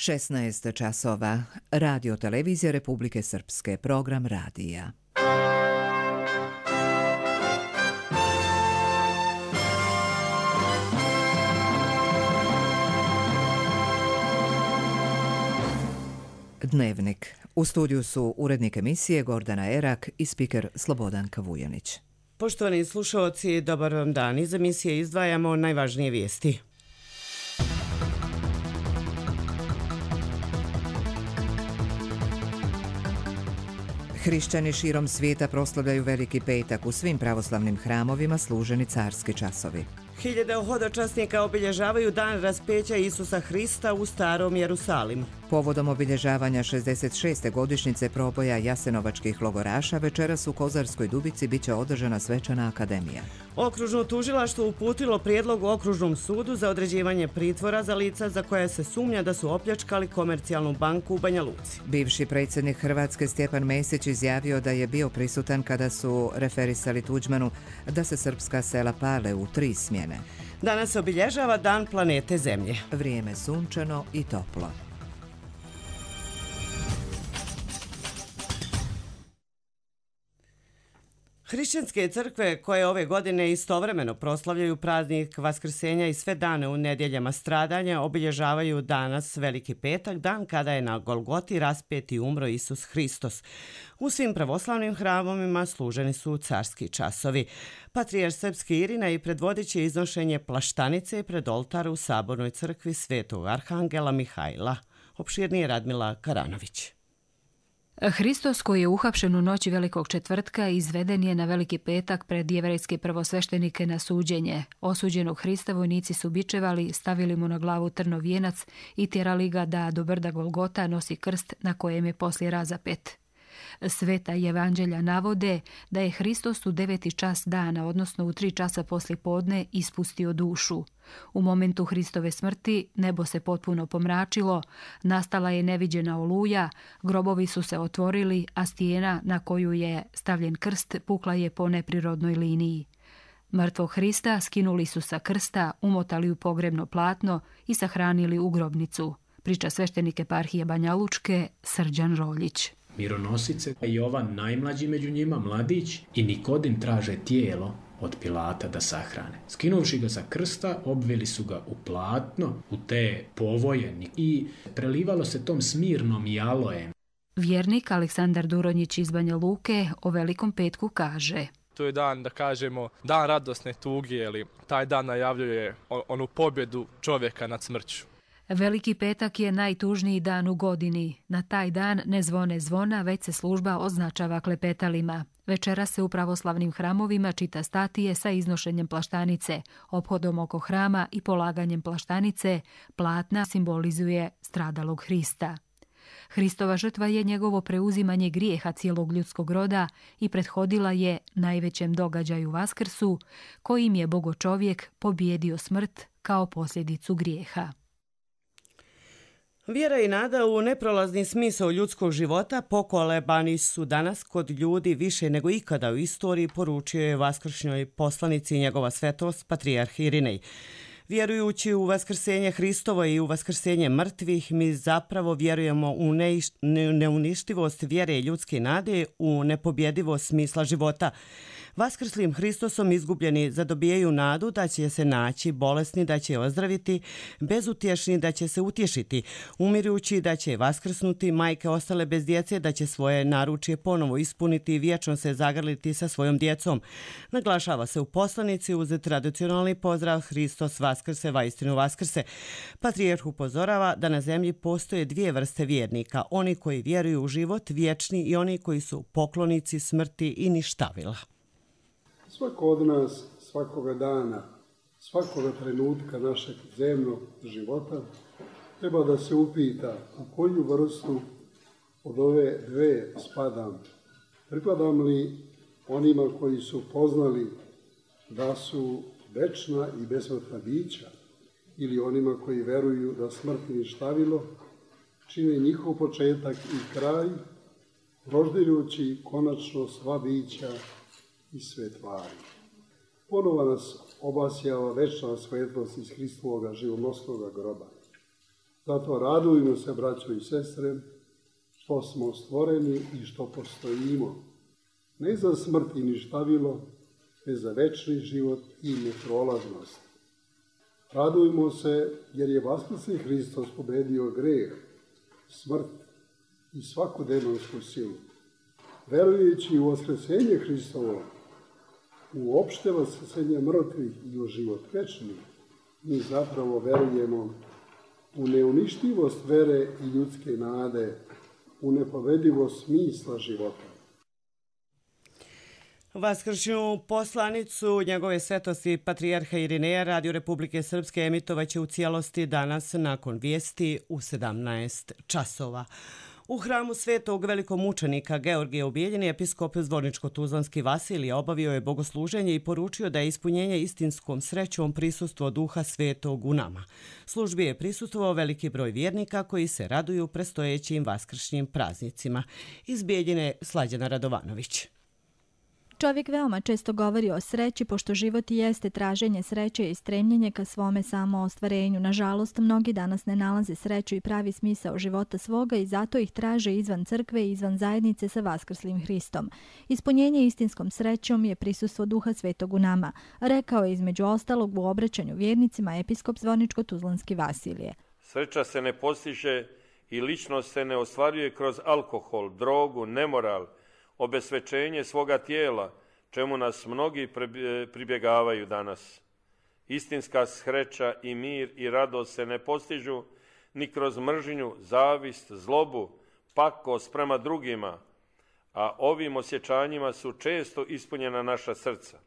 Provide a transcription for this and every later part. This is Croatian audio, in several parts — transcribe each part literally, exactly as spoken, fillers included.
šesnaest časova. Radio Televizija Republike Srpske. Program radija. Dnevnik. U studiju su urednik emisije Gordana Erak i spiker Slobodanka Vujanić. Poštovani slušalci, dobar vam dan. Iz emisije izdvajamo najvažnije vijesti. Hrišćani širom svijeta proslavljaju Veliki petak. U svim pravoslavnim hramovima služeni carski časovi. Hiljade hodočasnika obilježavaju dan raspeća Isusa Hrista u Starom Jerusalimu. Povodom obilježavanja šezdeset šeste godišnjice proboja jasenovačkih logoraša večeras u Kozarskoj Dubici biće održana svečana akademija. Okružno tužilaštvo uputilo prijedlog Okružnom sudu za određivanje pritvora za lica za koje se sumnja da su opljačkali komercijalnu banku u Banja Luci. Bivši predsjednik Hrvatske Stjepan Mesić izjavio da je bio prisutan kada su referisali Tuđmanu da se srpska sela pale u tri smjene. Danas se obilježava Dan planete Zemlje. Vrijeme sunčano i toplo. Hrišćanske crkve koje ove godine istovremeno proslavljaju praznik Vaskrsenja i sve dane u nedjeljama stradanja obilježavaju danas Veliki petak, dan kada je na Golgoti raspet i umro Isus Hristos. U svim pravoslavnim hramovima služeni su carski časovi. Patrijarh srpski Irina i predvodit će iznošenje plaštanice pred oltar u Sabornoj crkvi Svetog Arhangela Mihajla. Opširnije Radmila Karanović. Hristos, koji je uhapšen u noći Velikog četvrtka, izveden je na Veliki petak pred jevrejske prvosveštenike na suđenje. Osuđenog Hrista vojnici su bičevali, stavili mu na glavu trnov vijenac i tjerali ga da do brda Golgota nosi krst na kojem je poslije razapet. Sveta evanđelja navode da je Hristos u deveti čas dana, odnosno u tri časa poslije podne, ispustio dušu. U momentu Hristove smrti nebo se potpuno pomračilo, nastala je neviđena oluja, grobovi su se otvorili, a stijena na koju je stavljen krst pukla je po neprirodnoj liniji. Mrtvog Hrista skinuli su sa krsta, umotali u pogrebno platno i sahranili u grobnicu. Priča sveštenik eparhije Banja Lučke Srđan Roljić. Mironosice, Jovan najmlađi među njima, mladić, i Nikodim traže tijelo od Pilata da sahrane. Skinuvši ga sa krsta, obvili su ga u platno, u te povoje i prelivalo se tom smirnom i alojem. Vjernik Aleksandar Duronjić iz Banja Luke o Velikom petku kaže: To je dan, da kažemo, dan radosne tuge, ili taj dan najavljuje onu pobjedu čovjeka nad smrću. Veliki petak je najtužniji dan u godini. Na taj dan ne zvone zvona, već se služba označava klepetalima. Večera se u pravoslavnim hramovima čita statije sa iznošenjem plaštanice, ophodom oko hrama i polaganjem plaštanice. Platna simbolizuje stradalog Hrista. Hristova žrtva je njegovo preuzimanje grijeha cijelog ljudskog roda i prethodila je najvećem događaju Vaskrsu, kojim je bogočovjek pobjedio smrt kao posljedicu grijeha. Vjera i nada u neprolazni smisao ljudskog života pokolebani su danas kod ljudi više nego ikada u istoriji, poručio je vaskršnjoj poslanici njegova svetost Patrijarh Irinej. Vjerujući u vaskrsenje Hristovo i u vaskrsenje mrtvih, mi zapravo vjerujemo u neuništivost vjere i ljudske nade, u nepobjedivost smisla života. Vaskrslim Hristosom izgubljeni zadobijaju nadu da će se naći, bolesni da će ozdraviti, bezutješni da će se utješiti, umirujući da će vaskrsnuti, majke ostale bez djece da će svoje naručje ponovo ispuniti i vječno se zagrliti sa svojom djecom. Naglašava se u poslanici uz tradicionalni pozdrav Hristos Vaskrse, vaistinu Vaskrse. Patrijarh upozorava da na zemlji postoje dvije vrste vjernika, oni koji vjeruju u život vječni i oni koji su poklonici smrti i ništavila. Svako od nas, svakoga dana, svakoga trenutka našeg zemnog života treba da se upita u koju vrstu od ove dve spadam. Pripadam li onima koji su poznali da su večna i besmrtna bića ili onima koji veruju da smrt i ništavilo čine njihov početak i kraj, proždeljujući konačno sva bića i sve tvari. Ponovo nas obasjava večna svetlost iz Hristovoga živonosnoga groba. Zato radujmo se, braćo i sestre, što smo stvoreni i što postojimo. Ne za smrt i ništavilo, već za večni život i neprolaznost. Radujmo se jer je vaskrsli Hristos pobedio greh, smrt i svaku demonsku silu. Verujući u vaskresenje Hristovo, u opšte vaskrsenje mrtvih i u život večni, mi zapravo verujemo u neuništivost vere i ljudske nade, u nepovedivost smisla života. Vaskršnju poslanicu njegove svetosti patrijarha Irineja Radio Republike Srpske emitovaće u cijelosti danas nakon vijesti u sedamnaest časova. U hramu svetog velikomučenika Georgija u Bijeljini episkop Zvorničko-Tuzlanski Vasilije obavio je bogosluženje i poručio da je ispunjenje istinskom srećom prisustvo duha svetog u nama. Službi je prisustvovao veliki broj vjernika koji se raduju predstojećim vaskršnjim praznicima. Iz Bijeljine Slađana Radovanović. Čovjek veoma često govori o sreći, pošto život i jeste traženje sreće i stremljenje ka svome samoostvarenju. Nažalost, mnogi danas ne nalaze sreću i pravi smisao života svoga i zato ih traže izvan crkve i izvan zajednice sa vaskrslim Hristom. Ispunjenje istinskom srećom je prisustvo duha svetog u nama, rekao je između ostalog u obraćanju vjernicima episkop Zvorničko-Tuzlanski Vasilije. Sreća se ne postiže i ličnost se ne ostvaruje kroz alkohol, drogu, nemoral, obesvećenje svoga tijela, čemu nas mnogi pribjegavaju danas. Istinska sreća i mir i radost se ne postižu ni kroz mržnju, zavist, zlobu, pakost prema drugima, a ovim osjećanjima su često ispunjena naša srca.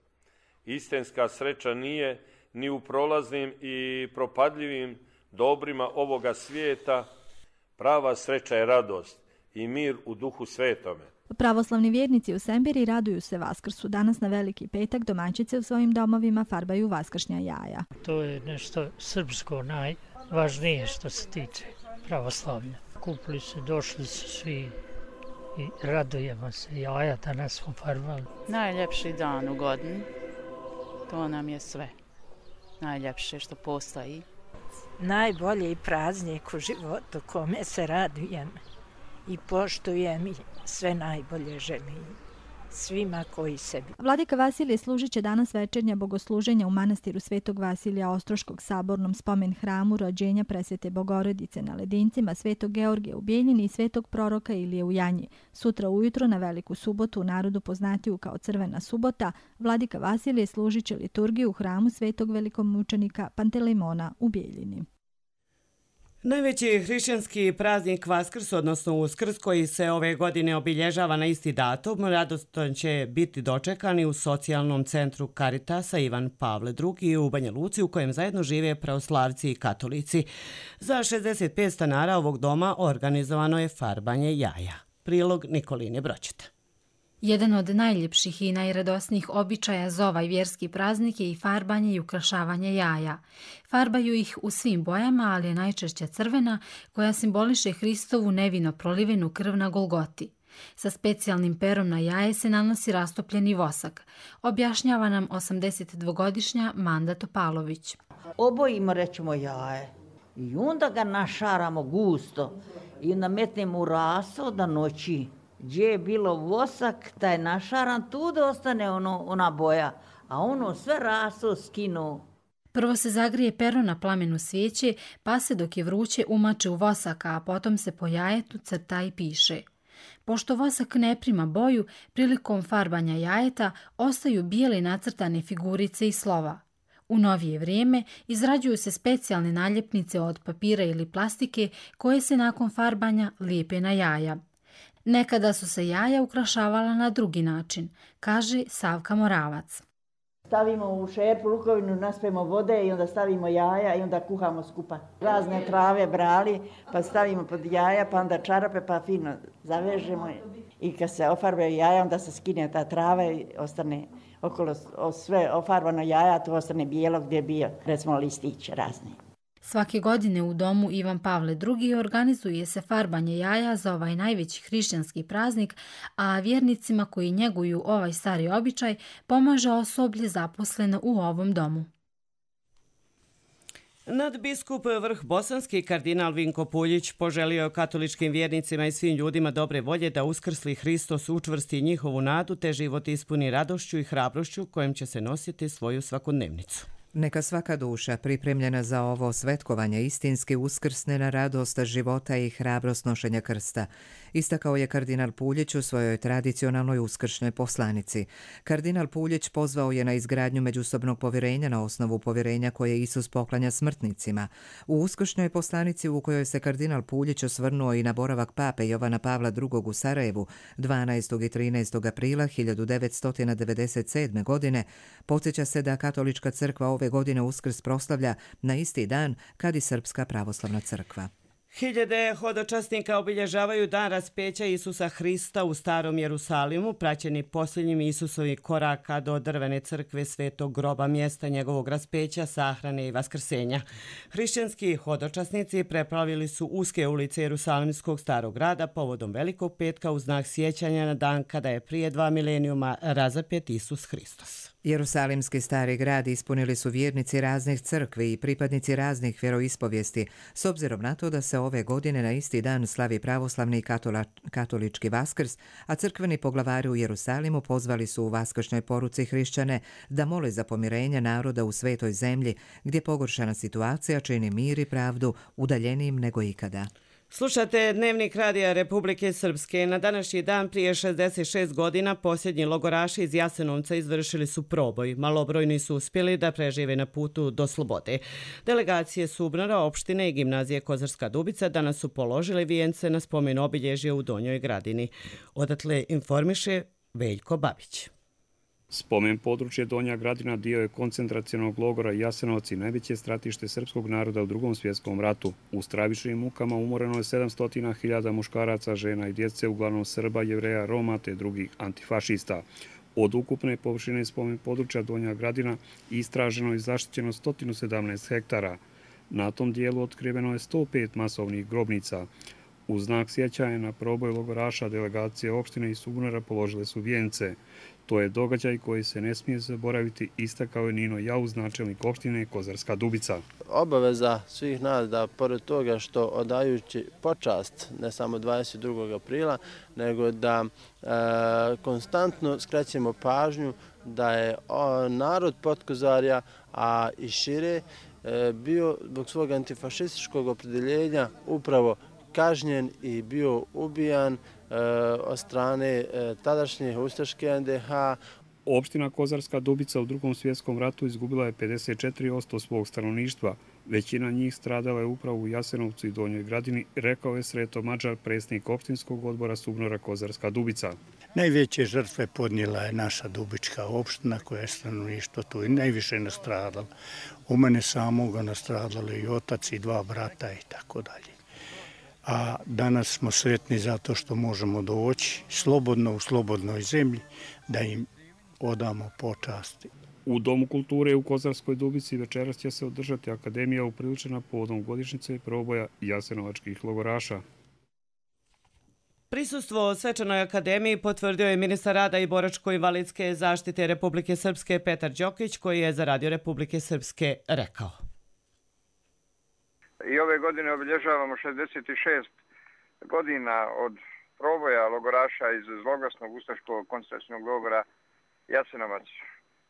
Istinska sreća nije ni u prolaznim i propadljivim dobrima ovoga svijeta. Prava sreća je radost i mir u duhu svetome. Pravoslavni vjernici u Sembiri raduju se Vaskrsu. Danas na Veliki petak domaćice u svojim domovima farbaju vaskršnja jaja. To je nešto srpsko najvažnije što se tiče pravoslavlja. Kupili se, došli su svi i radujemo se. Jaja danas smo farbali. Najljepši dan u godini, to nam je sve. Najljepše što postoji. Najbolji praznik u životu kome se radujem i poštujem i sve najbolje želim svima koji sebi. Vladika Vasilije služit će danas večernja bogosluženja u manastiru Svetog Vasilija Ostroškog sabornom spomen hramu rođenja presvete Bogorodice na Ledincima, Svetog Georgija u Bijeljini i Svetog proroka Ilije u Janji. Sutra ujutro na Veliku subotu, u narodu poznatiju kao Crvena subota, Vladika Vasilije služit će liturgiju u hramu Svetog velikomučenika Pantelejmona u Bijeljini. Najveći hrišćanski praznik Vaskrs, odnosno Uskrs, koji se ove godine obilježava na isti datum, radostan će biti dočekani u socijalnom centru Karitasa Ivan Pavle drugi u Banja Luci, u kojem zajedno žive pravoslavci i katolici. Za šezdeset pet stanara ovog doma organizovano je farbanje jaja. Prilog Nikoline Broćeta. Jedan od najljepših i najradosnijih običaja za ovaj vjerski praznik je i farbanje i ukrašavanje jaja. Farbaju ih u svim bojama, ali je najčešće crvena, koja simboliše Hristovu nevino prolivenu krv na Golgoti. Sa specijalnim perom na jaje se nanosi rastopljeni vosak, objašnjava nam osamdesetdvogodišnja Manda Topalović. Obojimo, rećemo, jaje i onda ga našaramo gusto i onda metnemo u raso da noći. Gdje je bilo vosak, taj našaran, tu da ostane ono, ona boja, a ono sve raso skinu. Prvo se zagrije pero na plamenu svijeće, pa se dok je vruće umače u vosak, a potom se po jajetu crta i piše. Pošto vosak ne prima boju, prilikom farbanja jajeta ostaju bijele nacrtane figurice i slova. U novije vrijeme izrađuju se specijalne naljepnice od papira ili plastike koje se nakon farbanja lijepe na jaja. Nekada su se jaja ukrašavala na drugi način, kaže Savka Moravac. Stavimo u šerpu lukovinu, naspemo vode i onda stavimo jaja i onda kuhamo skupa. Razne trave brali, pa stavimo pod jaja, pa onda čarape, pa fino zavežemo. I kad se ofarbaju jaja, onda se skine ta trava i ostane okolo sve ofarbano jaja, to ostane bijelo gdje je bio, recimo listić razni. Svake godine u domu Ivan Pavle drugi organizuje se farbanje jaja za ovaj najveći hrišćanski praznik, a vjernicima koji njeguju ovaj stari običaj pomaže osoblje zaposleno u ovom domu. Nadbiskup vrh bosanski kardinal Vinko Puljić poželio je katoličkim vjernicima i svim ljudima dobre volje da uskrsli Hristos učvrsti njihovu nadu te život ispuni radošću i hrabrošću kojim će se nositi svoju svakodnevnicu. Neka svaka duša pripremljena za ovo svetkovanje istinski uskrsne na radost života i hrabrost nošenja krsta, istakao je kardinal Puljić u svojoj tradicionalnoj uskršnjoj poslanici. Kardinal Puljić pozvao je na izgradnju međusobnog povjerenja na osnovu povjerenja koje Isus poklanja smrtnicima. U uskršnjoj poslanici u kojoj se kardinal Puljić osvrnuo i na boravak pape Jovana Pavla drugog u Sarajevu dvanaestog i trinaestog aprila hiljadu devetsto devedeset sedme. godine, podsjeća se da katolička crkva ove godine Uskrs proslavlja na isti dan kad i Srpska pravoslavna crkva. Hiljade hodočasnika obilježavaju dan raspeća Isusa Hrista u Starom Jerusalimu, praćeni posljednjim Isusovih koraka do drvene crkve Svetog groba, mjesta njegovog raspeća, sahrane i vaskrsenja. Hrišćanski hodočasnici preplavili su uske ulice Jerusalimskog starog grada povodom Velikog petka u znak sjećanja na dan kada je prije dva milenijuma razapet Isus Hristos. Jerusalimski stari grad ispunili su vjernici raznih crkvi i pripadnici raznih vjeroispovijesti, s obzirom na to da se ove godine na isti dan slavi pravoslavni i katola, katolički Vaskrs, a crkveni poglavari u Jerusalimu pozvali su u vaskršnjoj poruci hrišćane da mole za pomirenje naroda u svetoj zemlji, gdje pogoršana situacija čini mir i pravdu udaljenijim nego ikada. Slušate Dnevnik radija Republike Srpske. Na današnji dan prije šezdeset šest godina posljednji logoraši iz Jasenovca izvršili su proboj. Malobrojni su uspjeli da prežive na putu do slobode. Delegacije Subnora, opštine i gimnazije Kozarska Dubica danas su položili vijence na spomen obilježje u Donjoj Gradini. Odatle informiše Veljko Babić. Spomen područje Donja Gradina dio je koncentracionog logora Jasenovac i najveće stratište srpskog naroda u Drugom svjetskom ratu. U stravičnim mukama umoreno je sedamsto hiljada muškaraca, žena i djece, uglavnom Srba, Jevreja, Roma te drugih antifašista. Od ukupne površine spomen područja Donja Gradina istraženo i zaštićeno sto sedamnaest hektara. Na tom dijelu otkriveno je sto pet masovnih grobnica. U znak sjećanja na proboj logoraša delegacije opštine i Subnora položile su vijence. To je događaj koji se ne smije zaboraviti, istakao je Nino Jauz, načelnik opštine Kozarska Dubica. Obaveza svih nas da, pored toga što odajući počast ne samo dvadeset drugog aprila, nego da e, konstantno skrećemo pažnju da je o, narod Potkozarja, a i šire, e, bio zbog svog antifašističkog opredjeljenja upravo kažnjen i bio ubijan od strane tadašnje ustaške en de ha. Opština Kozarska Dubica u Drugom svjetskom ratu izgubila je pedeset četiri posto svog stanovništva. Većina njih stradala je upravo u Jasenovcu i Donjoj Gradini, rekao je Sreto Mađar, predsjednik opštinskog odbora Subnora Kozarska Dubica. Najveće žrtve podnijela je naša Dubička opština koja je stanovništvo tu i najviše nastradala. U mene samoga nastradali i otac i dva brata i tako dalje. A danas smo sretni zato što možemo doći slobodno u slobodnoj zemlji da im odamo počasti. U Domu kulture u Kozarskoj Dubici večeras će se održati akademija upriličena povodom godišnjice proboja jasenovačkih logoraša. Prisustvo Svečanoj akademiji potvrdio je ministar rada i boračko-invalidske zaštite Republike Srpske Petar Đokić, koji je za Radio Republike Srpske rekao. I ove godine obilježavamo šezdeset šest godina od proboja logoraša iz zloglasnog ustaškog koncentracionog logora Jasenovac.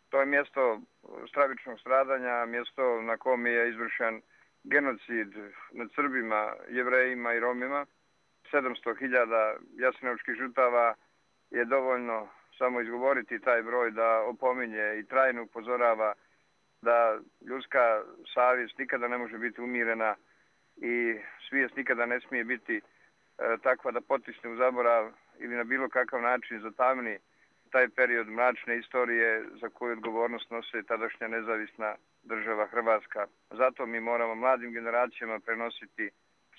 To je mjesto stravičnog stradanja, mjesto na kom je izvršen genocid nad Srbima, Jevrejima i Romima. sedamsto hiljada jasenovačkih žrtava je dovoljno samo izgovoriti taj broj da opominje i trajno upozorava da ljudska savjest nikada ne može biti umirena i svijest nikada ne smije biti e, takva da potisne u zaborav ili na bilo kakav način zatamni taj period mračne istorije za koju odgovornost nose tadašnja nezavisna država Hrvatska. Zato mi moramo mladim generacijama prenositi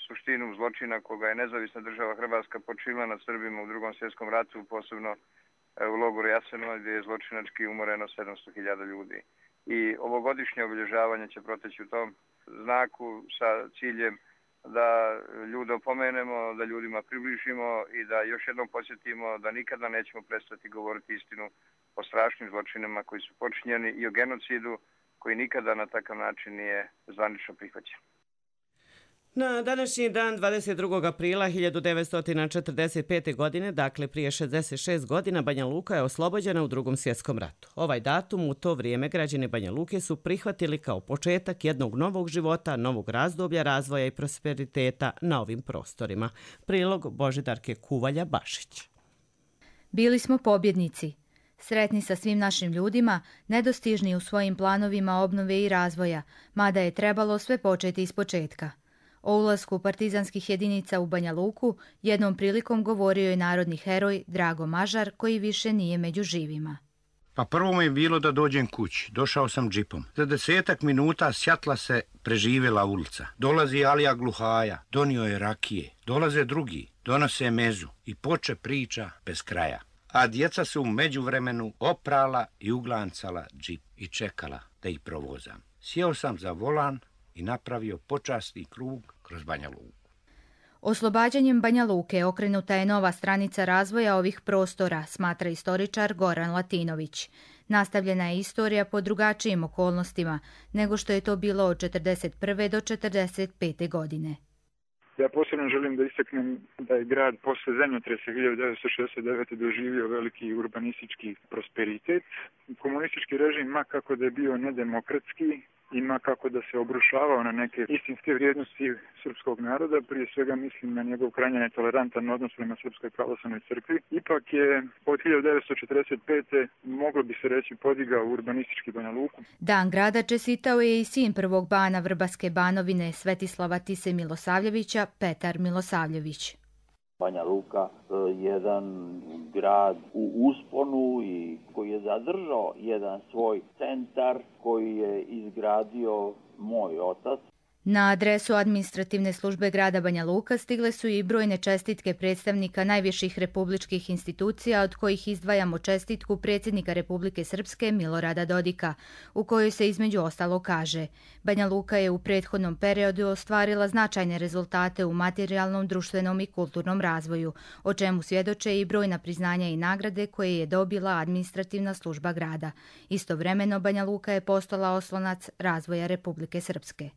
suštinu zločina koga je nezavisna država Hrvatska počinila nad Srbima u Drugom svjetskom ratu, posebno e, u logoru Jasenovac gdje je zločinački umoreno sedamsto hiljada ljudi. I ovogodišnje obilježavanje će proteći u tom znaku sa ciljem da ljude opomenemo, da ljudima približimo i da još jednom podsjetimo da nikada nećemo prestati govoriti istinu o strašnim zločinima koji su počinjeni i o genocidu koji nikada na takav način nije zvanično prihvaćen. Na današnji dan, dvadeset drugog aprila hiljadu devetsto četrdeset pete. godine, dakle prije šezdeset šest godina, Banja Luka je oslobođena u Drugom svjetskom ratu. Ovaj datum u to vrijeme građani Banja Luke su prihvatili kao početak jednog novog života, novog razdoblja razvoja i prosperiteta na ovim prostorima. Prilog Božidarke Kuvalja-Bašić. Bili smo pobjednici. Sretni sa svim našim ljudima, nedostižni u svojim planovima obnove i razvoja, mada je trebalo sve početi iz početka. O ulasku partizanskih jedinica u Banja Luku jednom prilikom govorio je narodni heroj Drago Mažar, koji više nije među živima. Pa prvo mi je bilo da dođem kući. Došao sam džipom. Za desetak minuta sjatla se preživjela ulica. Dolazi Alija Gluhaja, donio je rakije. Dolaze drugi, donose mezu i poče priča bez kraja. A djeca su u međuvremenu oprala i uglancala džip i čekala da ih provozam. Sjeo sam za volan i napravio počasni krug kroz Banja Luku. Oslobađanjem Banja Luke okrenuta je nova stranica razvoja ovih prostora, smatra istoričar Goran Latinović. Nastavljena je istorija po drugačijim okolnostima nego što je to bilo od četrdeset prve do četrdeset pete. godine. Ja posebno želim da istaknem da je grad posle zemljotresa hiljadu devetsto šezdeset devete. doživio veliki urbanistički prosperitet. Komunistički režim, ma kako da je bio nedemokratski, ima kako da se obrušavao na neke istinske vrijednosti srpskog naroda, prije svega mislim na njegov krajnje netolerantan odnos prema Srpskoj pravoslavnoj crkvi. Ipak je od hiljadu devetsto četrdeset pete. moglo bi se reći podigao urbanistički Banja Luku. Dan grada čestitao je i sin prvog bana Vrbaske Banovine Svetislava Tise Milosavljevića, Petar Milosavljević. Banja Luka jedan grad u usponu i koji je zadržao jedan svoj centar koji je izgradio moj otac. Na adresu administrativne službe grada Banja Luka stigle su i brojne čestitke predstavnika najviših republičkih institucija, od kojih izdvajamo čestitku predsjednika Republike Srpske Milorada Dodika, u kojoj se između ostalo kaže: Banja Luka je u prethodnom periodu ostvarila značajne rezultate u materijalnom, društvenom i kulturnom razvoju, o čemu svjedoče i brojna priznanja i nagrade koje je dobila administrativna služba grada. Istovremeno Banja Luka je postala oslonac razvoja Republike Srpske.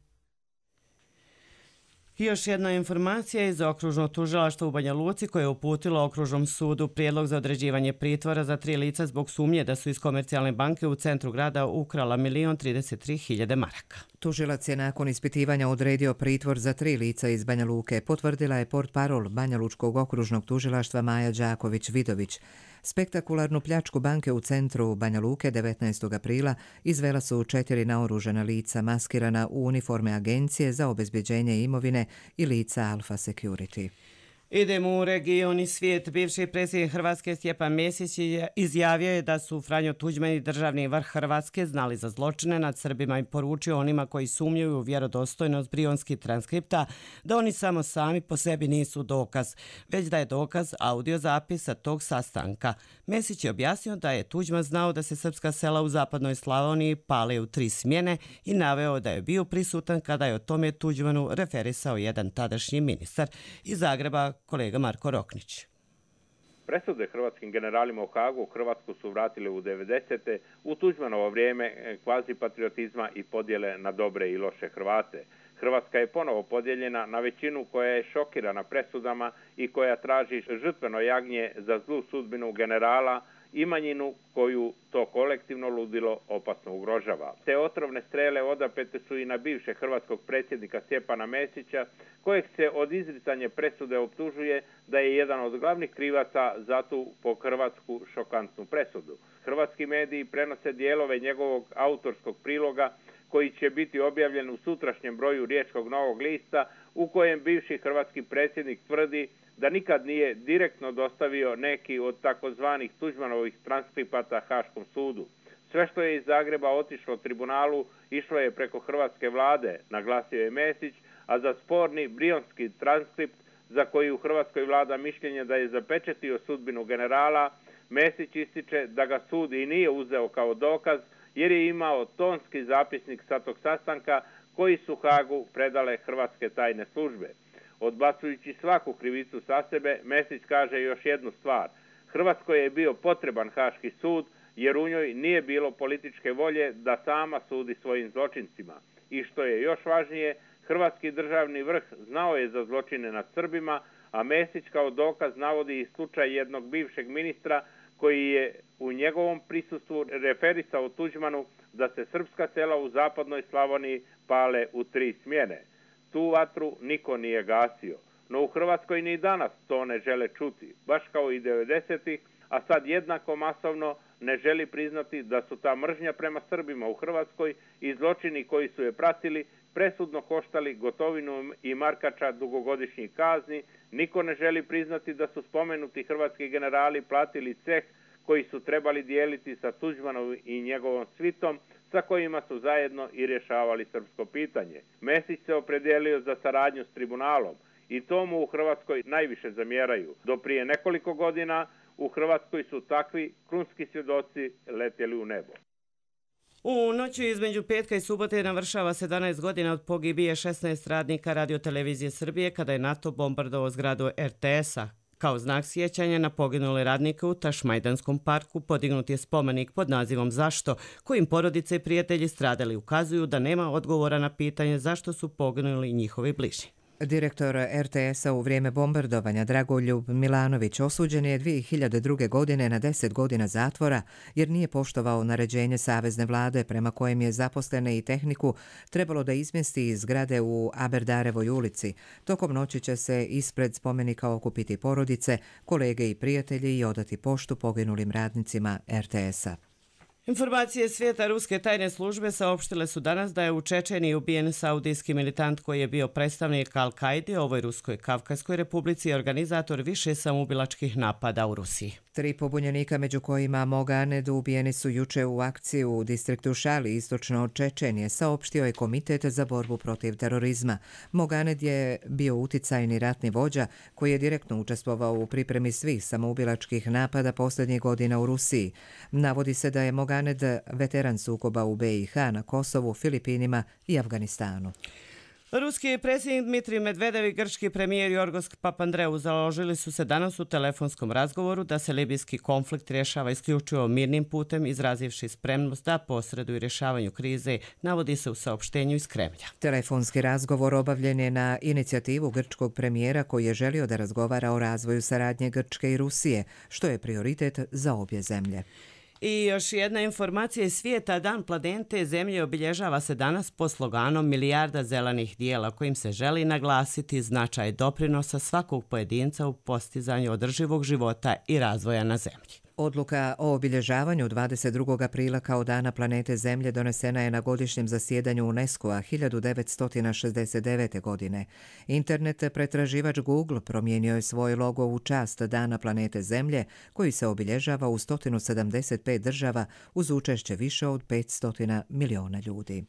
I još jedna informacija iz okružnog tužilaštva u Banja Luci koje je uputilo okružnom sudu prijedlog za određivanje pritvora za tri lica zbog sumnje da su iz Komercijalne banke u centru grada ukrala milion trideset tri hiljade maraka. Tužilac je nakon ispitivanja odredio pritvor za tri lica iz Banja Luke, potvrdila je portparol Banja Lučkog okružnog tužilaštva Maja Đaković-Vidović. Spektakularnu pljačku banke u centru Banja Luke devetnaestog aprila izvela su četiri naoružana lica maskirana u uniforme Agencije za obezbeđenje imovine i lica Alfa Security. Idemo u region i svijet. Bivši predsjednik Hrvatske Stjepan Mesić izjavio je da su Franjo Tuđman i državni vrh Hrvatske znali za zločine nad Srbima i poručio onima koji sumnjuju u vjerodostojnost brionskih transkripta da oni samo sami po sebi nisu dokaz, već da je dokaz audio zapisa tog sastanka. Mesić je objasnio da je Tuđman znao da se srpska sela u zapadnoj Slavoniji pale u tri smjene i naveo da je bio prisutan kada je o tome Tuđmanu referisao jedan tadašnji ministar iz Zagreba, kolega Marko Roknić. Presude hrvatskim generalima u Hagu Hrvatsku su vratili u devedesete. u Tuđmanovo vrijeme kvazi patriotizma i podjele na dobre i loše Hrvate. Hrvatska je ponovo podijeljena na većinu koja je šokirana presudama i koja traži žrtveno jagnje za zlu sudbinu generala i manjinu koju to kolektivno ludilo opasno ugrožava. Te otrovne strele odapete su i na bivšeg hrvatskog predsjednika Stjepana Mesića, kojeg se od izricanja presude optužuje da je jedan od glavnih krivaca za tu po hrvatsku šokantnu presudu. Hrvatski mediji prenose dijelove njegovog autorskog priloga koji će biti objavljen u sutrašnjem broju Riječkog Novog lista, u kojem bivši hrvatski predsjednik tvrdi da nikad nije direktno dostavio neki od takozvanih Tuđmanovih transkripata Haškom sudu. Sve što je iz Zagreba otišlo tribunalu išlo je preko hrvatske vlade, naglasio je Mesić, a za sporni brionski transkript za koji u Hrvatskoj vlada mišljenje da je zapečetio sudbinu generala, Mesić ističe da ga sud i nije uzeo kao dokaz jer je imao tonski zapisnik sa tog sastanka koji su Hagu predale hrvatske tajne službe. Odbacujući svaku krivicu sa sebe, Mesić kaže još jednu stvar. Hrvatskoj je bio potreban Haški sud jer u njoj nije bilo političke volje da sama sudi svojim zločincima. I što je još važnije, hrvatski državni vrh znao je za zločine nad Srbima, a Mesić kao dokaz navodi i slučaj jednog bivšeg ministra koji je u njegovom prisustvu referisao Tuđmanu da se srpska sela u zapadnoj Slavoniji pale u tri smjene. Tu vatru niko nije gasio, no u Hrvatskoj ni danas to ne žele čuti, baš kao i devedesetih, a sad jednako masovno ne želi priznati da su ta mržnja prema Srbima u Hrvatskoj i zločini koji su je pratili presudno koštali Gotovinu i Markača dugogodišnjih kazni. Niko ne želi priznati da su spomenuti hrvatski generali platili ceh koji su trebali dijeliti sa Tuđmanom i njegovom svitom, sa kojima su zajedno i rješavali srpsko pitanje. Mesić se opredijelio za saradnju s tribunalom i to mu u Hrvatskoj najviše zamjeraju. Do prije nekoliko godina u Hrvatskoj su takvi krunski svjedoci letjeli u nebo. U noću između petka i subote navršava sedamnaest godina od pogibije šesnaest radnika Radiotelevizije Srbije kada je NATO bombardovao zgradu er te esa. Kao znak sjećanja na poginule radnike u Tašmajdanskom parku podignut je spomenik pod nazivom Zašto, kojim porodice i prijatelji stradali ukazuju da nema odgovora na pitanje zašto su poginuli njihovi bližnji. Direktor er te esa u vrijeme bombardovanja Dragoljub Milanović osuđen je dvije hiljade druge. godine na deset godina zatvora jer nije poštovao naređenje savezne vlade prema kojem je zaposlene i tehniku trebalo da izmjesti iz zgrade u Aberdarevoj ulici. Tokom noći će se ispred spomenika okupiti porodice, kolege i prijatelji i odati poštu poginulim radnicima er te esa. Informacije svijeta ruske tajne službe saopštile su danas da je u Čečeniji ubijen saudijski militant koji je bio predstavnik Al-Kaidi, ovoj Ruskoj Kavkazskoj republici i organizator više samoubilačkih napada u Rusiji. Tri pobunjenika, među kojima Moganed, ubijeni su juče u akciji u distriktu Šali, istočno od Čečenije, saopštio je Komitet za borbu protiv terorizma. Moganed je bio uticajni ratni vođa koji je direktno učestvovao u pripremi svih samoubilačkih napada posljednjih godina u Rusiji. Navodi se da je Moganed veteran sukoba u be i ha, na Kosovu, Filipinima i Afganistanu. Ruski predsjednik Dmitrij Medvedev i grčki premijer Jorgos Papandreou založili su se danas u telefonskom razgovoru da se libijski konflikt rješava isključivo mirnim putem, izrazivši spremnost da posreduju rješavanju krize, navodi se u saopštenju iz Kremlja. Telefonski razgovor obavljen je na inicijativu grčkog premijera koji je želio da razgovara o razvoju saradnje Grčke i Rusije, što je prioritet za obje zemlje. I još jedna informacija iz svijeta. Dan planete Zemlje obilježava se danas po sloganom Milijarda zelenih dijela, kojim se želi naglasiti značaj doprinosa svakog pojedinca u postizanju održivog života i razvoja na Zemlji. Odluka o obilježavanju dvadeset drugog aprila kao Dana planete Zemlje donesena je na godišnjem zasjedanju UNESCO-a hiljadu devetsto šezdeset devete. godine. Internet pretraživač Google promijenio je svoj logo u čast Dana planete Zemlje, koji se obilježava u sto sedamdeset pet država uz učešće više od petsto miliona ljudi.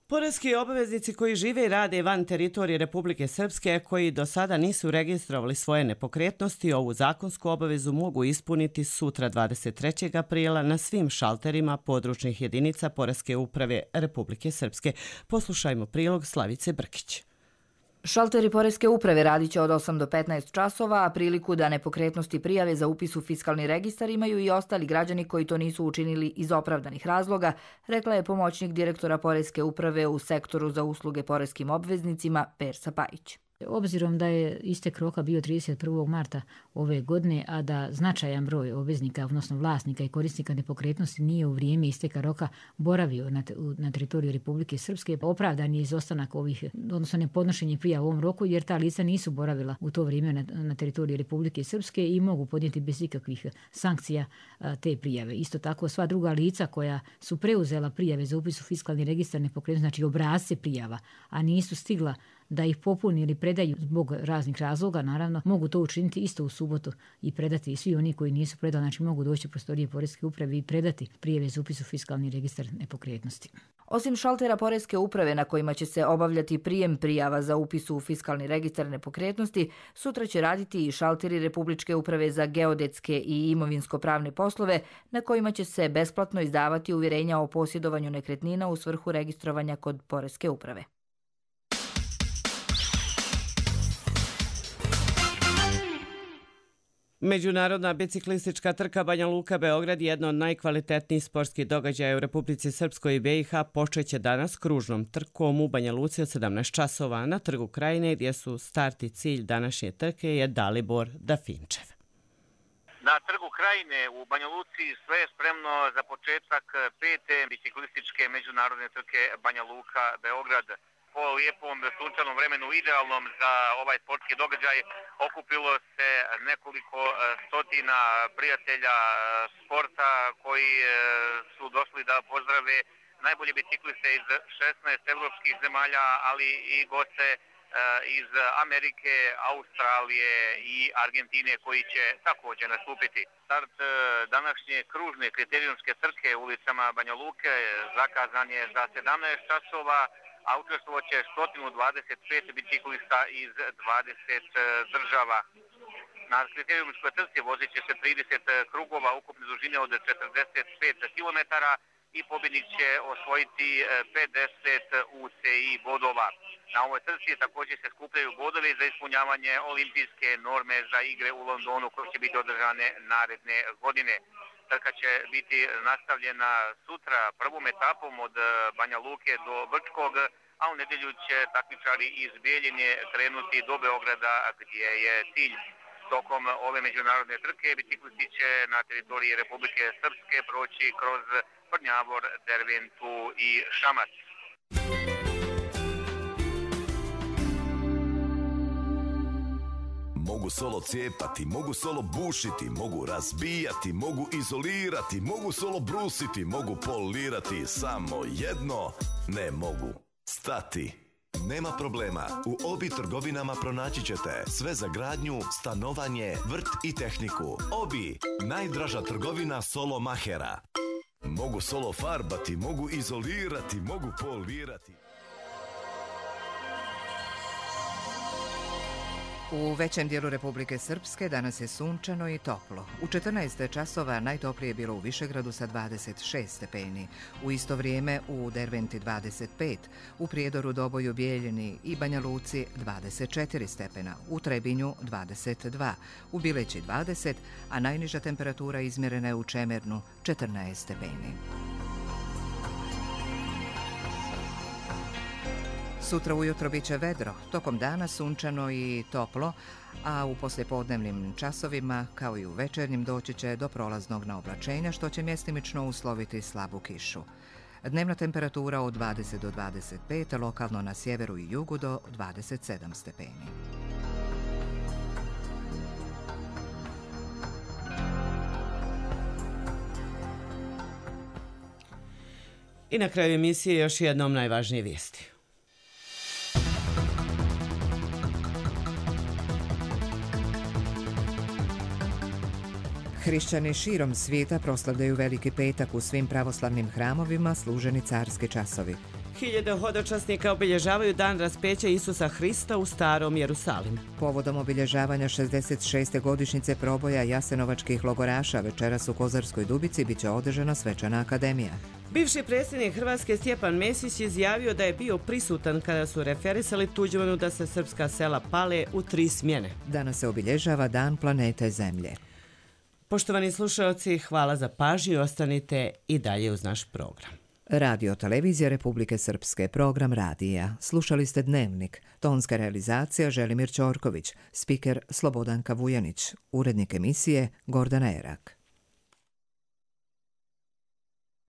Poreski obaveznici koji žive i rade van teritorije Republike Srpske, koji do sada nisu registrovali svoje nepokretnosti, ovu zakonsku obavezu mogu ispuniti sutra dvadeset trećeg aprila na svim šalterima područnih jedinica Poreske uprave Republike Srpske. Poslušajmo prilog Slavice Brkić. Šalteri Poreske uprave radit će od osam do petnaest časova, a priliku da nepokretnosti prijave za upis u fiskalni registar imaju i ostali građani koji to nisu učinili iz opravdanih razloga, rekla je pomoćnik direktora Poreske uprave u sektoru za usluge poreskim obveznicima Persa Pajić. Obzirom da je istek roka bio trideset prvog marta ove godine, a da značajan broj obveznika, odnosno vlasnika i korisnika nepokretnosti nije u vrijeme isteka roka boravio na, na teritoriju Republike Srpske, opravdan je izostanak ovih, odnosno nepodnošenje prijava u ovom roku, jer ta lica nisu boravila u to vrijeme na, na teritoriju Republike Srpske i mogu podnijeti bez ikakvih sankcija a, te prijave. Isto tako sva druga lica koja su preuzela prijave za upis u fiskalni registar nepokretnosti, znači obrasce prijava, a nisu stigla da ih popuni ili predaju zbog raznih razloga, naravno, mogu to učiniti isto u subotu i predati. I svi oni koji nisu predali, znači mogu doći u prostorije Poreske uprave i predati prijave za upis u fiskalni registar nepokretnosti. Osim šaltera Poreske uprave na kojima će se obavljati prijem prijava za upis u fiskalni registar nepokretnosti, sutra će raditi i šalteri Republičke uprave za geodetske i imovinsko-pravne poslove na kojima će se besplatno izdavati uvjerenja o posjedovanju nekretnina u svrhu registrovanja kod Poreske uprave. Međunarodna biciklistička trka Banja Luka-Beograd, jedno od najkvalitetnijih sportskih događaja u Republici Srpskoj i be i ha, počeće danas kružnom trkom u Banja Luci od sedamnaest časova na Trgu Krajine, gdje su start i cilj današnje trke je Dalibor Dafinčev. Na Trgu Krajine u Banja Luci sve je spremno za početak pete biciklističke međunarodne trke Banja Luka-Beograd. Po lijepom sunčanom vremenu, idealnom za ovaj sportski događaj, okupilo se nekoliko stotina prijatelja sporta koji su došli da pozdrave najbolje bicikliste iz šesnaest evropskih zemalja, ali i goste iz Amerike, Australije i Argentine koji će također nastupiti. Start današnje kružne kriterijumske trke ulicama Banja Luke zakazan je za sedamnaest časova, a učestvovat će sto dvadeset pet biciklista iz dvadeset država. Na kriterijumskoj trci vozit će se trideset krugova ukupne dužine od četrdeset pet kilometara i pobjednik će osvojiti pedeset u ce i bodova. Na ovoj trci također se skupljaju bodovi za ispunjavanje olimpijske norme za igre u Londonu koje će biti održane naredne godine. Trka će biti nastavljena sutra prvom etapom od Banja Luke do Brčkog, a u nedjelju će takmičari iz Bijeljine krenuti do Beograda gdje je cilj. Tokom ove međunarodne trke biciklisti će na teritoriji Republike Srpske proći kroz Prnjavor, Derventu i Šamac. Mogu solo cijepati, mogu solo bušiti, mogu razbijati, mogu izolirati, mogu solo brusiti, mogu polirati, samo jedno ne mogu. Stati. Nema problema, u Obi trgovinama pronaći ćete sve za gradnju, stanovanje, vrt i tehniku. Obi, najdraža trgovina solo mahera. Mogu solo farbati, mogu izolirati, mogu polirati. U većem dijelu Republike Srpske danas je sunčano i toplo. U četrnaest časova najtoplije je bilo u Višegradu sa dvadeset šest stepeni. U isto vrijeme u Derventi dvadeset pet, u Prijedoru, Doboju, Bijeljini i Banja Luci dvadeset četiri stepena, u Trebinju dvadeset dva, u Bileći dvadeset, a najniža temperatura izmjerena je u Čemernu četrnaest stepeni. Sutra ujutro bit će vedro, tokom dana sunčano i toplo, a u poslijepodnevnim časovima, kao i u večernjim, doći će do prolaznog naoblačenja, što će mjestimično usloviti slabu kišu. Dnevna temperatura od dvadeset do dvadeset pet, lokalno na sjeveru i jugu do dvadeset sedam stepeni. I na kraju emisije još jednom najvažnije vijesti. Hrišćani širom svijeta proslavljaju Veliki petak, u svim pravoslavnim hramovima služeni carski časovi. Hiljade hodočasnika obilježavaju dan raspeća Isusa Hrista u Starom Jerusalimu. Povodom obilježavanja šezdeset šeste godišnjice proboja jasenovačkih logoraša večeras u Kozarskoj Dubici biće održana svečana akademija. Bivši predsjednik Hrvatske Stjepan Mesić izjavio da je bio prisutan kada su referisali Tuđmanu da se srpska sela pale u tri smjene. Danas se obilježava Dan planete Zemlje. Poštovani slušalci, hvala za pažnju i ostanite i dalje uz naš program. Radio Televizija Republike Srpske, program radija. Slušali ste Dnevnik, tonska realizacija Želimir Ćorković, spiker Slobodanka Vujanić, urednik emisije Gordana Erak.